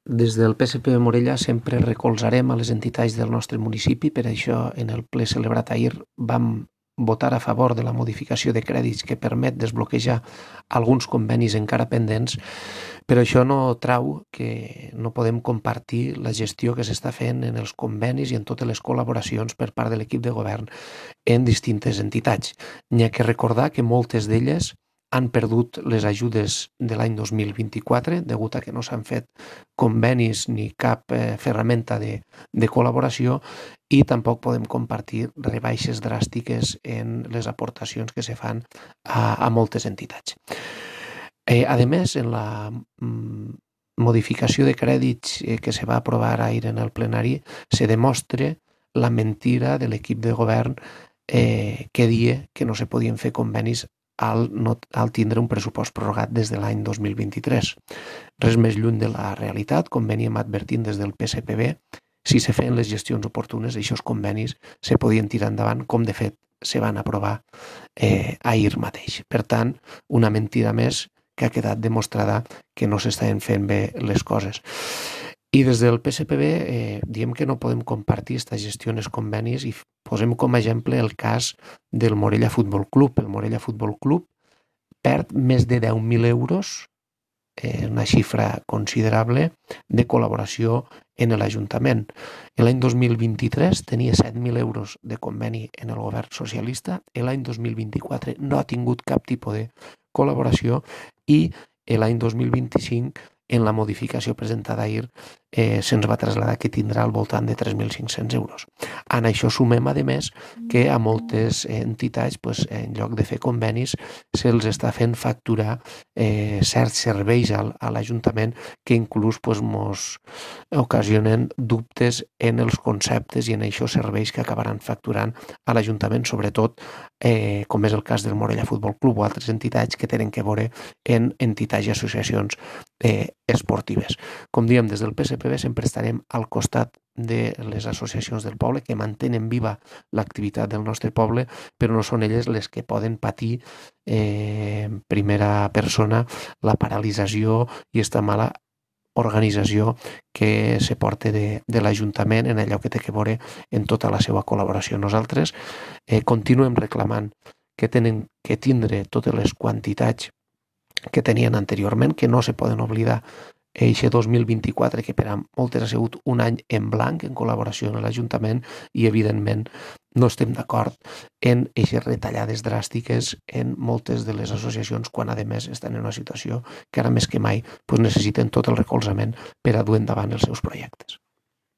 Des del PSP de Morella sempre recolzarem a les entitats del nostre municipi, per això en el ple celebrat ahir vam votar a favor de la modificació de crèdits que permet desbloquejar alguns convenis encara pendents, però això no trau que no podem compartir la gestió que s'està fent en els convenis i en totes les col·laboracions per part de l'equip de govern en distintes entitats. N'hi ha que recordar que moltes d'elles han perdut les ajudes de l'any 2024 degut a que no s'han fet convenis ni cap ferramenta de col·laboració i tampoc podem compartir rebaixes dràstiques en les aportacions que se fan a moltes entitats. A més, en la modificació de crèdits que se va aprovar ahir en el plenari, se demostra la mentira de l'equip de govern que dia que no se podien fer convenis al tindre un pressupost prorrogat des de l'any 2023. Res més lluny de la realitat, com veníem advertint des del PSPB, si se feien les gestions oportunes, aquests convenis se podien tirar endavant, com de fet se van aprovar ahir mateix. Per tant, una mentida més que ha quedat demostrada que no s'estaven fent bé les coses. I des del PSPB diem que no podem compartir aquesta gestió en els convenis i posem com a exemple el cas del Morella Futbol Club. El Morella Futbol Club perd més de 10.000 euros, una xifra considerable, de col·laboració en l'Ajuntament. L'any 2023 tenia 7.000 euros de conveni en el govern socialista, l'any 2024 no ha tingut cap tipus de col·laboració i l'any 2025 en la modificació presentada ahir se'ns va traslladar que tindrà al voltant de 3.500 euros. En això sumem, a més, que a moltes entitats, en lloc de fer convenis, se'ls està fent facturar certs serveis a l'Ajuntament que inclús ens ocasionen dubtes en els conceptes i en aquests serveis que acabaran facturant a l'Ajuntament, sobretot com és el cas del Morella Futbol Club o altres entitats que tenen que veure en entitats i associacions esportives. Com diem, des del PSPB sempre estarem al costat de les associacions del poble que mantenen viva l'activitat del nostre poble, però no són elles les que poden patir en primera persona la paralització i aquesta mala organització que se porta de l'Ajuntament en allò que té que veure en tota la seva col·laboració. Nosaltres continuem reclamant que tenen que tindre totes les quantitats que tenien anteriorment, que no se poden oblidar eixe 2024, que per a moltes ha sigut un any en blanc en col·laboració amb l'Ajuntament i, evidentment, no estem d'acord en eixes retallades dràstiques en moltes de les associacions quan, a més, estan en una situació que ara més que mai necessiten tot el recolzament per a dur endavant els seus projectes.